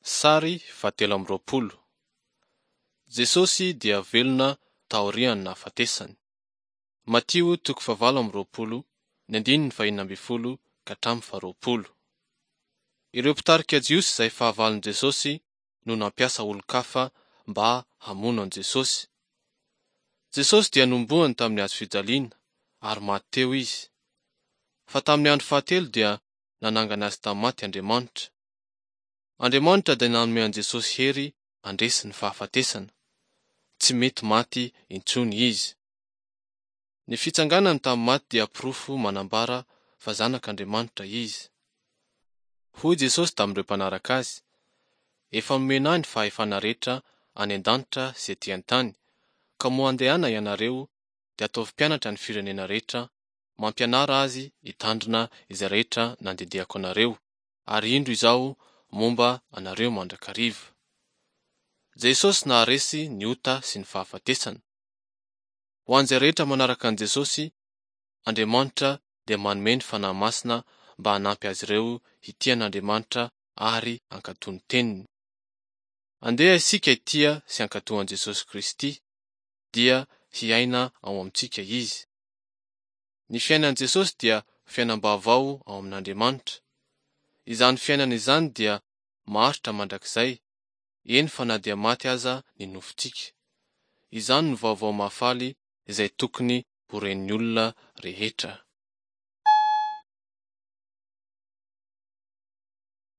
Sary fahatelo amby 20. Jesosy dia velona taorian'ny nahafatesany. Matio toko fahavalo amby 20, ny andininy fahenina ambin'ny folo ka hatramin'ny faharoapolo. Ireo mpitarika Jiosy izay fahavalon'i Jesosy no nampiasa olon-kafa mba hamono an'i Jesosy. Jesosy dia nohomboany tamin'ny hazo fijaliana ary maty teo izy. Fa tamin'ny andro fahatelo dia nanangana azy tamin'ny maty Andriamanitra. Andriamanitra dia nanome an'i Jesosy hery handresy ny fahafatesana. Tsy mety maty intsony izy. Ny fitsanganany tamin'ny maty dia porofo manambara fa Zanak'Andriamanitra izy. Hoy Jesosy tamin'ireo mpanaraka azy, Efa nomena ahy ny fahefana rehetra any an-danitra sy ety an-tany, ka moa andehana ianareo dia ataovy mpianatra ny firenena rehetra, mampianara azy hitandrina izay rehetra nandidiako anareo, ary indro Izaho momba anareo mandrakariva. Jesosy naharesy ny ota sy ny fahafatesana. Ho an'izay rehetra manaraka an'i Jesosy, Andriamanitra dia manome ny Fanahy Masina mba hanampy azy ireo hitia an'Andriamanitra ary hankatò ny Teniny. Andeha isika hitia sy hankatò an'i Jesosy Kristy, dia hiaina ao amintsika Izy. Ny fiainan'i Jesosy dia fiainam-baovao ao amin'Andriamanitra. Izany fiainana izany dia maharitra mandrakizay, eny fa na dia maty aza ny nofontsika. Izany no vaovao mahafaly izay tokony ho ren'ny olona rehetra.